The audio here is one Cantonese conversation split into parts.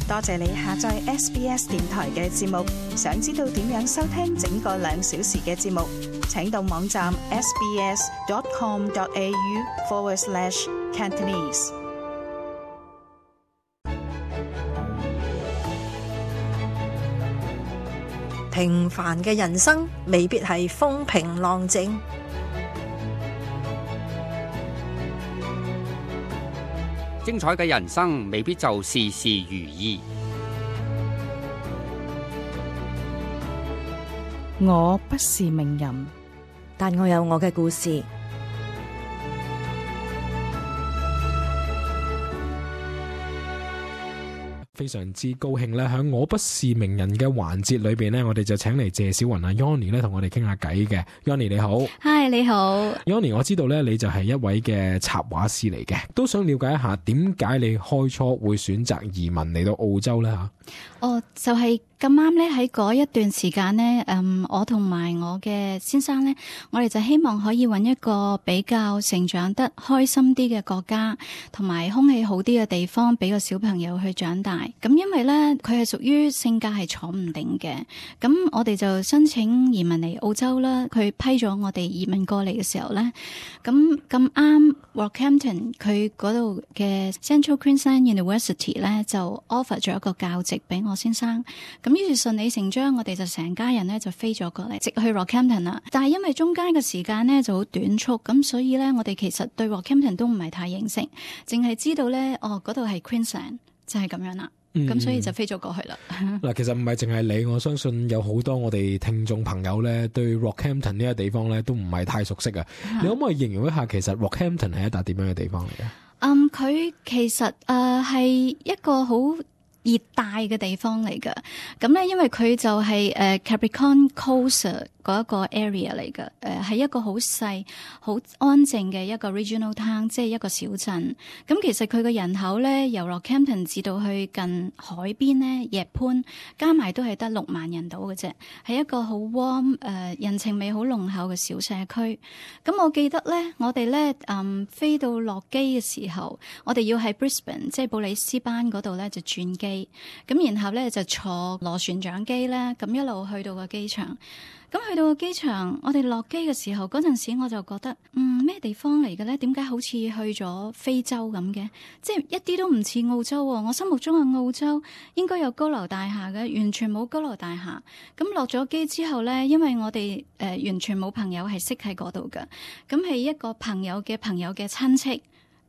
多謝你下載 SBS 電台嘅節目。想知道點樣收聽整個2小時嘅節目，請到網站 sbs.com.au/Cantonese。平凡嘅人生未必係風平浪靜，精彩嘅人生未必就事事如意。我不是名人，但我有我嘅故事。非常之高興咧，喺我不是名人嘅環節裏邊呢，我哋就請嚟謝小雲啊 Yoni 咧同我哋傾下偈嘅。Yoni 你好。Hi 你好。Yoni 我知道咧你就係一位嘅插畫師嚟嘅，都想了解一下點解你開初會選擇移民嚟到澳洲咧吓？就係咁啱咧，喺嗰一段時間呢，我同埋我嘅先生呢，我哋就希望可以揾一個比較成長得開心啲嘅國家，同埋空氣好啲嘅地方，俾個小朋友去長大。咁因為呢，佢係屬於性格係坐唔定嘅，咁我哋就申請移民嚟澳洲啦。佢批咗我哋移民過嚟嘅時候呢，咁啱 Rockhampton 佢嗰度嘅 Central Queensland University 呢，就 offer 咗一個教職俾我先生。咁於是順理成章，我哋就成家人咧就飛咗過嚟，直去 Rockhampton 啦。但係因為中間嘅時間咧就好短促，咁所以咧我哋其實對 Rockhampton 都唔係太認識，淨係知道咧嗰度係 Queensland 就係咁樣啦。咁所以就飛咗過去啦。嗱，其實唔係淨係你，我相信有好多我哋聽眾朋友咧對 Rockhampton 呢個地方咧都唔係太熟悉啊。你可唔可以形容一下其實 Rockhampton 係一笪點樣嘅地方嚟嘅？佢其實係一個好熱帶嘅地方嚟㗎，咁咧因為佢就係Capricorn Coast 嗰一個 area 嚟㗎，係一個好細、好安靜嘅一個 regional town， 即係一個小鎮。咁其實佢嘅人口咧，由 Rockhampton 至到去近海邊咧，夜潘加埋都係得6萬人到嘅啫，係一個好 warm 人情味好濃厚嘅小社區。咁我記得咧，我哋咧飛到落機嘅時候，我哋要喺 Brisbane 即係布里斯班嗰度咧就轉機，咁然後咧就坐螺旋槳機咧，咁一路去到個機場。咁去到個機場，我哋落機嘅時候，嗰陣時我就覺得，咩地方嚟嘅咧？點解好似去咗非洲咁嘅？即係一啲都唔似澳洲喎。我心目中嘅澳洲應該有高樓大廈嘅，完全冇高樓大廈。咁落咗機之後咧，因為我哋完全冇朋友係識喺嗰度嘅，咁係一個朋友嘅朋友嘅親戚。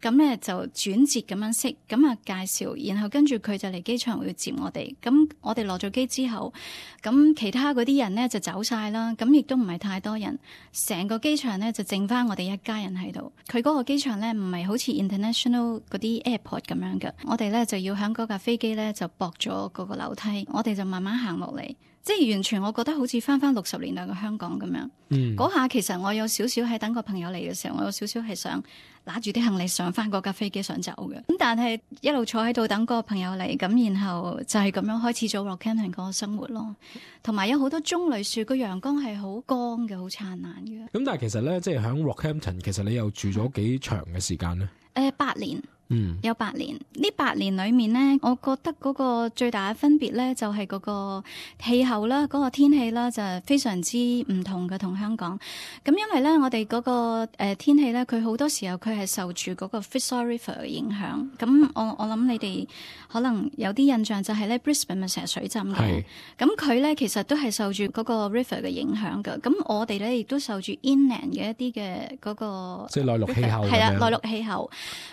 咁咧就轉接咁樣識，咁啊介紹，然後跟住佢就嚟機場會接我哋。咁我哋落咗機之後，咁其他嗰啲人咧就走晒啦，咁亦都唔係太多人，成個機場咧就剩翻我哋一家人喺度。佢嗰個機場咧唔係好似 international 嗰啲 airport 咁樣嘅，我哋咧就要喺嗰架飛機咧就駁咗嗰個樓梯，我哋就慢慢行落嚟。即係完全我覺得好似翻60年代嘅香港咁樣。嗰下其實我有少少喺等個朋友嚟嘅時候，我有少少係想拿住啲行李上翻嗰架飛機想走嘅。咁但係一路坐喺度等個朋友嚟，咁然後就係咁樣開始咗 Rockhampton 嗰個生活咯。同埋有好多棕櫚樹，個陽光係好光嘅，好燦爛嘅。咁但係其實咧，即係喺 Rockhampton，其實你又住咗幾長嘅時間呢？8年。有8年，呢8年裏面呢，我覺得嗰個最大嘅分別呢，就係嗰個氣候啦，嗰個天氣啦，就非常之唔同嘅同香港。咁因為呢，我哋嗰個天氣呢，佢好多時候佢係受住嗰個 Fitzroy River 嘅影響。咁我諗你哋可能有啲印象就係呢 Brisbane 咪成日水浸嘅。咁佢呢，其實都係受住嗰個 river 嘅影響嘅。咁我哋呢，亦都受住 inland 嘅一啲嘅嗰個即係內陸氣候。係啦，內陸氣候。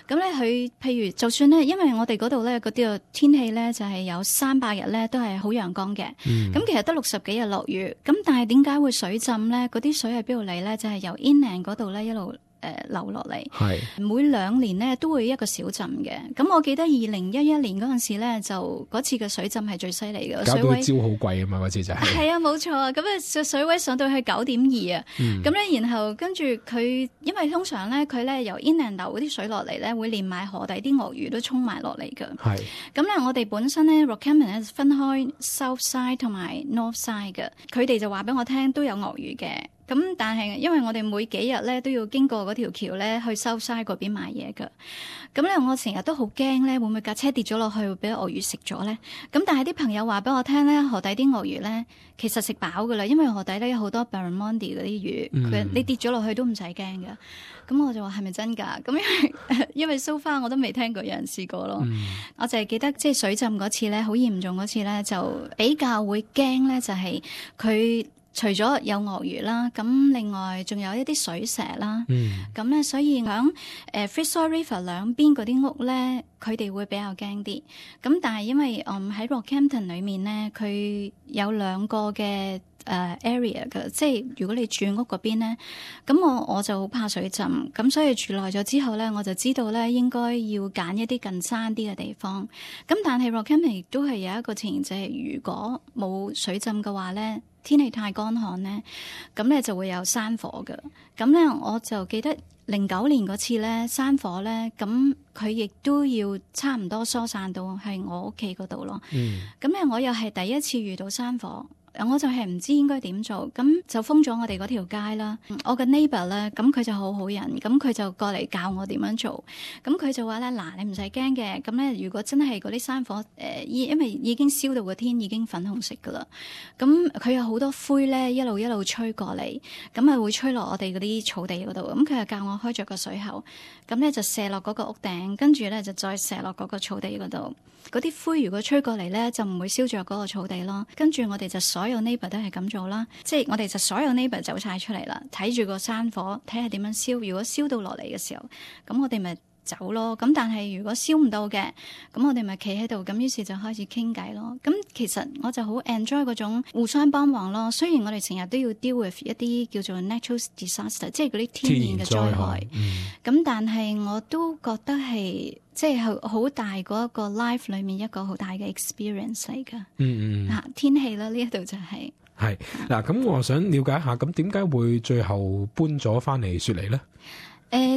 咁呢，佢譬如就算咧，因為我哋嗰度咧嗰啲嘅天氣咧就係有300日咧都係好陽光嘅，咁其實得60幾日落雨，咁但係點解會水浸咧？嗰啲水係邊度嚟咧？就係由 inland 嗰度咧一路流落嚟，每2年咧都會一個小浸嘅。咁我記得2011年嗰陣時咧，就嗰次嘅水浸係最犀利嘅，搞到招好貴啊嘛！嗰次就係啊，冇錯。咁啊，水位上到去9.2啊。咁咧，然後跟住佢，因為通常咧佢咧由 inland 流嗰啲水落嚟咧，會連埋河底啲鱷魚都沖埋落嚟㗎。咁咧，我哋本身咧 Rockhampton 咧分開 South Side 同埋 North Side 嘅，佢哋就話俾我聽都有鱷魚嘅。咁但係因為我哋每幾日咧都要經過嗰條橋咧去 Southside 嗰邊買嘢㗎，咁咧我成日都好驚咧會唔會架車跌咗落去會俾鱷魚食咗咧？咁但係啲朋友話俾我聽咧，河底啲鱷魚咧其實食飽㗎啦，因為河底咧有好多 barramundi 嗰啲魚，你跌咗落去都唔使驚㗎。咁我就話係咪真㗎？咁因為 so far 我都未聽過有人試過咯。我就係記得即係水浸嗰次咧，好嚴重嗰次咧，就比較會驚咧，就係佢。除咗有鱷魚啦，咁另外仲有一啲水蛇啦，咁咧所以響Fitzroy River 兩邊嗰啲屋咧，佢哋會比較驚啲。咁但係因為喺 Rockhampton 裏面咧，佢有兩個嘅area 嘅，即係如果你住屋嗰邊咧，咁我就好怕水浸，咁所以住耐咗之後咧，我就知道咧應該要揀一啲近山啲嘅地方。咁但係 Rockhampton 亦都係有一個情形，就係如果冇水浸嘅話咧，天氣太乾旱咧，咁咧就會有山火嘅。咁咧我就記得09年嗰次咧山火咧，咁佢亦都要差唔多疏散到喺我屋企嗰度咯。咁咧我又係第一次遇到山火。我就係唔知應該點做，咁就封咗我哋嗰條街啦。我嘅 neighbor 咧，咁佢就好好人，咁佢就過嚟教我點樣做。咁佢就話咧，嗱，你唔使驚嘅。咁咧，如果真係嗰啲山火，因為已經燒到個天已經粉紅色噶啦。咁佢有好多灰咧，一路吹過嚟，咁啊會吹落我哋嗰啲草地嗰度。咁佢就教我開着個水口，咁咧就射落嗰個屋頂，跟住咧就再射落嗰個草地嗰度。嗰啲灰如果吹過嚟咧，就唔會燒着嗰個草地咯。跟住我哋就所有 neighbor 都係咁做啦，即係我哋就所有 neighbor 走晒出嚟啦，睇住個山火，睇下點樣燒。如果燒到落嚟嘅時候，咁我哋咪走咯。咁但係如果燒唔到嘅，咁我哋咪企喺度。咁於是就開始傾偈咯。咁其實我就好 enjoy 嗰種互相幫忙咯。雖然我哋成日都要 deal with 一啲叫做 natural disaster， 即係嗰啲天然嘅災害。咁但係我都覺得係即係好大嗰一個 life 裏面一個好大嘅 experience 嚟㗎。天氣啦，呢一度就係嗱。咁我想了解一下，咁點解會最後搬咗翻嚟雪梨咧？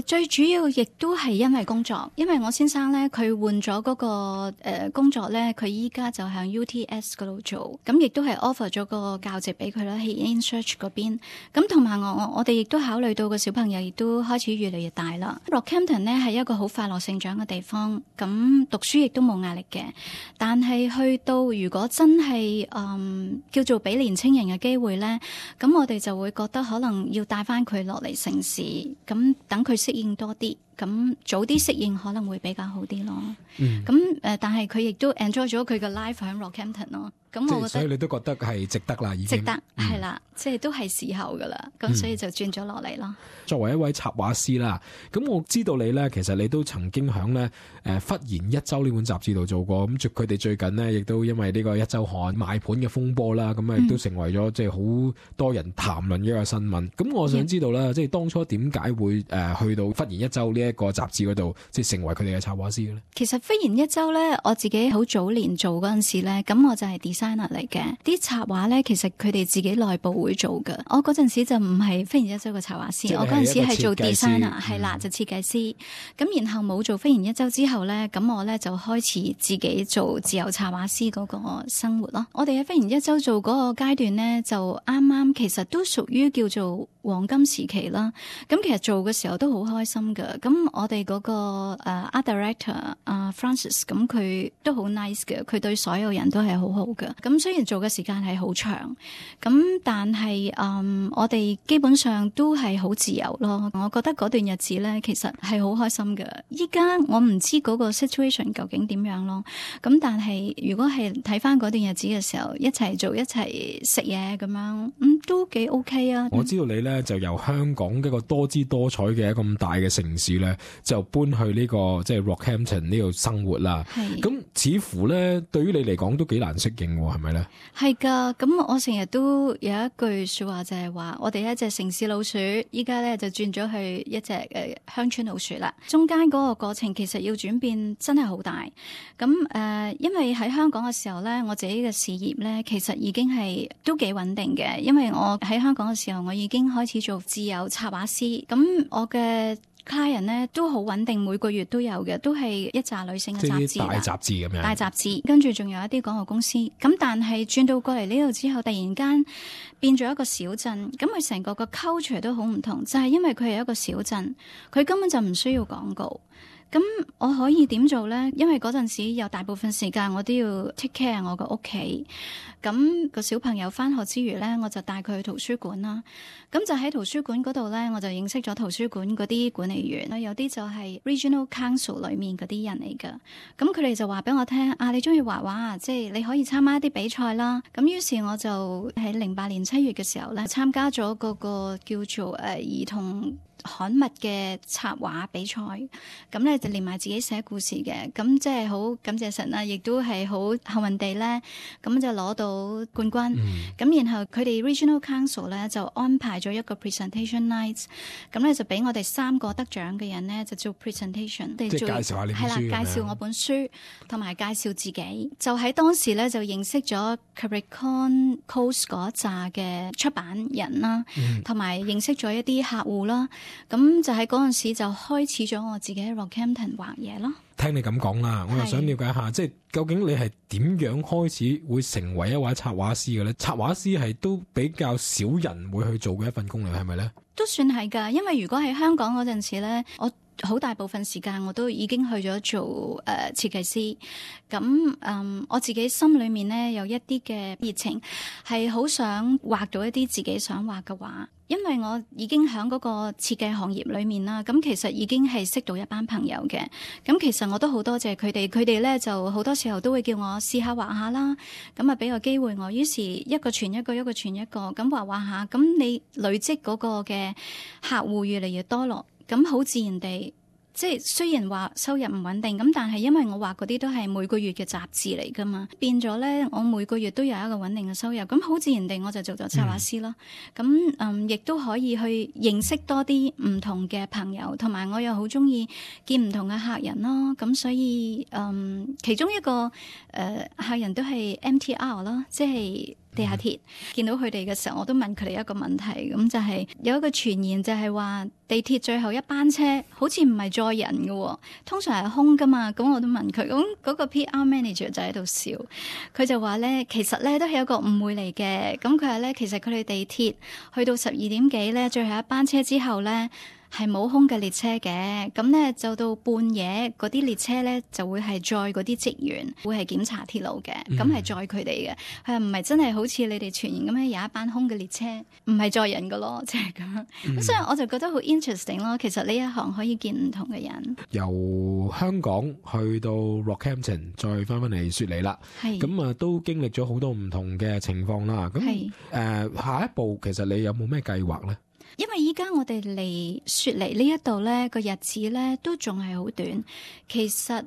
最主要亦都係因為工作，因為我先生咧佢換咗嗰個工作咧，佢依家就喺 UTS 嗰度做，咁亦都係 offer 咗個教職俾佢啦，喺 InChurch 嗰邊。咁同埋我哋亦都考慮到個小朋友亦都開始越嚟越大啦。Rockhampton 咧係一個好快樂成長嘅地方，咁讀書亦都冇壓力嘅。但係去到如果真係叫做俾年青人嘅機會咧，咁我哋就會覺得可能要帶翻佢落嚟城市，咁等佢適應多啲，咁早啲適應可能會比較好啲咯。咁但係佢亦都 enjoy 咗佢嘅 life 喺 Rockhampton 咯。咁我覺得，所以你都覺得係值得啦，已經值得係啦，即係都係時候噶啦。咁所以就轉咗落嚟咯。作為一位插畫師啦，咁我知道你咧，其實你都曾經響咧忽然一周呢本雜誌度做過。咁佢哋最近呢，亦都因為呢個一周刊賣盤嘅風波啦，咁亦都成為咗即係好多人談論嘅一個新聞。咁我想知道啦，即係當初點解會去到忽然一周呢一個雜誌嗰度，即係成為佢哋嘅插畫師嘅咧？其實忽然一周咧，我自己好早年做嗰陣時咧，咁我就係 designer 嚟嘅。啲插畫咧，其實佢哋自己內部會做嘅。我嗰陣時就唔係忽然一周嘅插畫師，我嗰陣時係做 designer， 係啦，就設計師。咁然後冇做忽然一周之後咧，咁我咧就開始自己做自由插畫師嗰個生活咯。我哋喺忽然一周做嗰個階段咧，就啱啱其實都屬於叫做黃金時期啦。咁其實做嘅時候都好開心㗎。咁我哋嗰個art director Francis， 咁佢都好 nice 嘅，佢對所有人都係好好嘅。咁雖然做嘅時間係好長，咁但係我哋基本上都係好自由咯。我覺得嗰段日子咧，其實係好開心嘅。依家我唔知嗰個 situation 究竟點樣咯。咁但係如果係睇翻嗰段日子嘅時候，一齊做一齊食嘢咁樣，都幾 OK 啊。我知道你咧就由香港一個多姿多彩嘅咁大嘅城市咧，就搬去呢個即係 Rockhampton 呢度生活啦。咁似乎咧對於你嚟講都幾難適應，係咪咧？係噶。咁我成日都有一句說話就係話，我哋一隻城市老鼠，依家咧就轉咗去一隻鄉村老鼠啦。中間嗰個過程其實要轉變真係好大。咁因為喺香港嘅時候咧，我自己嘅事業咧其實已經係都幾穩定嘅，因為我喺香港嘅時候，我已經開始做自由插畫師。咁我嘅 client 咧都好穩定，每個月都有嘅，都係一紮女性嘅雜誌啦，大雜誌咁樣，大雜誌，跟住仲有一啲廣告公司。咁但係轉到過嚟呢度之後，突然間變咗一個小鎮，咁佢成個 culture 都好唔同，就係因為佢係一個小鎮，佢根本就唔需要廣告。咁我可以點做呢？因為嗰陣時有大部分時間我都要 take care 我個屋企，咁個小朋友返學之餘呢，我就帶佢去圖書館啦。咁就喺圖書館嗰度呢，我就認識咗圖書館嗰啲管理員，有啲就係 Regional Council 裏面嗰啲人嚟㗎。咁佢哋就話俾我聽啊，你中意畫畫啊，即係你可以參加一啲比賽啦。咁於是我就喺08年7月嘅時候呢，參加咗嗰個叫做兒童刊物嘅插畫比賽，咁咧就連埋自己寫故事嘅，咁即係好感謝神啦，亦都係好幸運地咧，咁就攞到冠軍。咁然後佢哋 Regional Council 咧就安排咗一個 presentation night， 咁咧就俾我哋3個得獎嘅人咧就做 presentation， 即係介紹下你本書，係啦，介紹我本書同埋介紹自己。就喺當時咧就認識咗 Capricorn Coast 嗰一紮嘅出版人啦，同埋認識咗一啲客戶啦。咁就喺嗰陣時就開始咗我自己喺 Rockhampton 畫嘢咯。聽你咁講啦，我又想了解下，即係究竟你係點樣開始會成為一位插畫師嘅咧？插畫師係都比較少人會去做嘅一份工嚟，係咪咧？都算係㗎，因為如果喺香港嗰陣時咧，我好大部分時間我都已經去咗做設計師。咁我自己心裏面咧有一啲嘅熱情，係好想畫到一啲自己想畫嘅畫。因為我已經喺嗰個設計行業裏面啦，咁其實已經係識到一班朋友嘅。咁其實我都好多謝佢哋，佢哋咧就好多時候都會叫我試下畫下啦。咁啊俾個機會我，於是一個傳一個，一個傳一個，咁畫下。咁你累積嗰個嘅客戶越嚟越多落，咁好自然地。即係雖然話收入唔穩定，咁但係因為我畫嗰啲都係每個月嘅雜誌嚟噶嘛，變咗咧我每個月都有一個穩定嘅收入，咁好自然地我就做咗插畫師咯。咁亦都可以去認識多啲唔同嘅朋友，同埋我又好中意見唔同嘅客人咯。咁所以其中一個客人都係 MTR 咯，即係地下鐵。見到佢哋嘅時候，我都問佢哋一個問題，咁就係有一個傳言就係話地鐵最後一班車好似唔係載人嘅，通常係空噶嘛。咁我都問佢，咁嗰個 PR manager 就喺度笑，佢就話咧，其實咧都係一個誤會嚟嘅。咁佢話咧，其實佢哋地鐵去到12點幾咧，最後一班車之後咧，係冇空嘅列車嘅，咁咧就到半夜嗰啲列車咧就會係載嗰啲職員，會係檢查鐵路嘅，咁係載佢哋嘅，係唔係真係好似你哋傳言咁樣有一班空嘅列車，唔係載人㗎咯，即係咁。咁所以我就覺得好 interesting 咯。其實呢一行可以見唔同嘅人，由香港去到 Rockhampton， 再翻嚟雪梨啦。咁啊，都經歷咗好多唔同嘅情況啦。咁下一步其實你有冇咩計劃咧？因為依家我哋嚟雪梨呢一度咧個日子咧都仲係好短，其實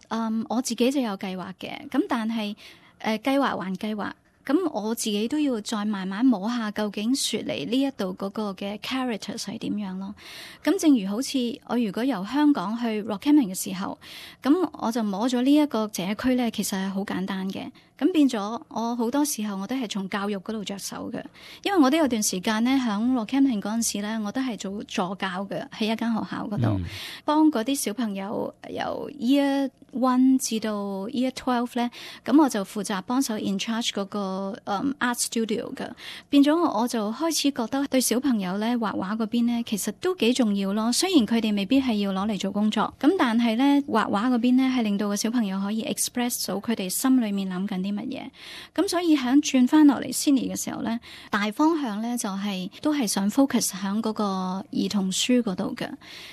我自己就有計劃嘅，咁但係計劃還計劃，咁我自己都要再慢慢摸下究竟雪梨呢一度嗰個嘅 characters 係點樣咯。咁正如好似我如果由香港去 Rockhampton 嘅時候，咁我就摸咗呢一個社區咧，其實係好簡單嘅。咁變咗，我好多時候我都係從教育嗰度着手嘅，因為我都有段時間咧，喺 Rockhampton 嗰陣時咧，我都係做助教嘅，喺一間學校嗰度，幫嗰啲小朋友由 Year 1至到 Year 12咧，咁我就負責幫手 in charge 嗰個art studio 嘅，變咗我就開始覺得對小朋友咧畫畫嗰邊咧，其實都幾重要咯。雖然佢哋未必係要攞嚟做工作，咁但係咧畫畫嗰邊咧係令到個小朋友可以 express 到佢哋心裏面諗緊啲乜嘢，咁所以喺轉翻落嚟 Sydney 嘅時候咧，大方向咧就係都係想 focus 喺嗰個兒童書嗰度嘅，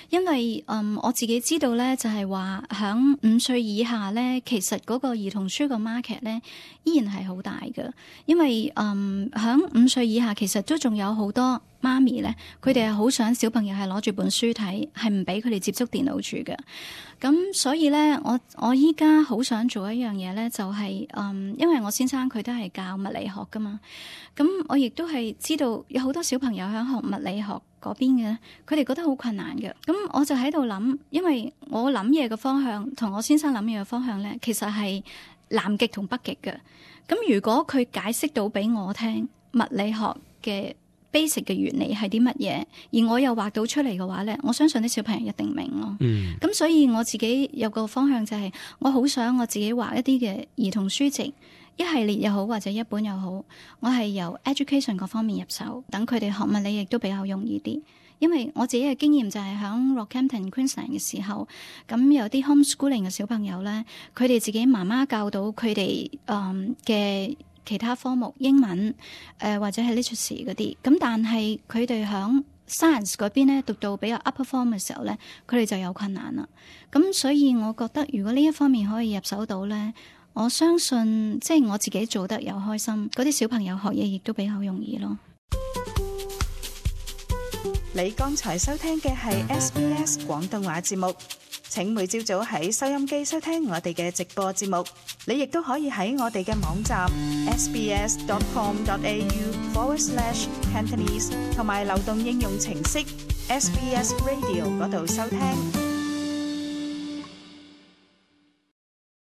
因為我自己知道咧就係話喺5歲以下咧，其實嗰個兒童書個 market 咧依然係好大嘅，因為喺5歲以下其實都仲有好多媽咪咧，佢哋係好想小朋友係攞住本書睇，係唔俾佢哋接觸電腦住嘅。咁所以咧，我依家好想做一樣嘢咧，就係因為我先生佢都係教物理學噶嘛，咁我亦都係知道有好多小朋友喺學物理學嗰邊嘅，佢哋覺得好困難嘅。咁我就喺度諗，因為我諗嘢嘅方向同我先生諗嘢嘅方向咧，其實係南極同北極嘅。咁如果佢解釋到俾我聽物理學嘅 basic 嘅原理係啲乜嘢，而我又畫到出嚟嘅話咧，我相信啲小朋友一定明咯。咁所以我自己有個方向就係，我好想我自己畫一啲嘅兒童書籍，一系列又好或者一本又好，我係由 education 嗰方面入手，等佢哋學物理亦都比較容易啲。因為我自己嘅經驗就係喺 Rockhampton Queensland 嘅時候，咁有啲 homeschooling 嘅小朋友咧，佢哋自己媽媽教到佢哋嘅其他科目，英文或者係 literacy 嗰啲，咁但係佢哋喺 science 嗰邊咧讀到比較 upper form 嘅時候咧，佢哋就有困難啦。咁所以我覺得如果呢一方面可以入手到咧，我相信即係我自己做得又開心，嗰啲小朋友學嘢亦都比較容易咯。你剛才收聽嘅係 SBS 廣東話節目，請每朝早喺收音機收聽我哋嘅直播節目。你亦都可以喺我哋嘅網站 sbs.com.au/Cantonese 同埋流動應用程式 SBS Radio 嗰度收聽。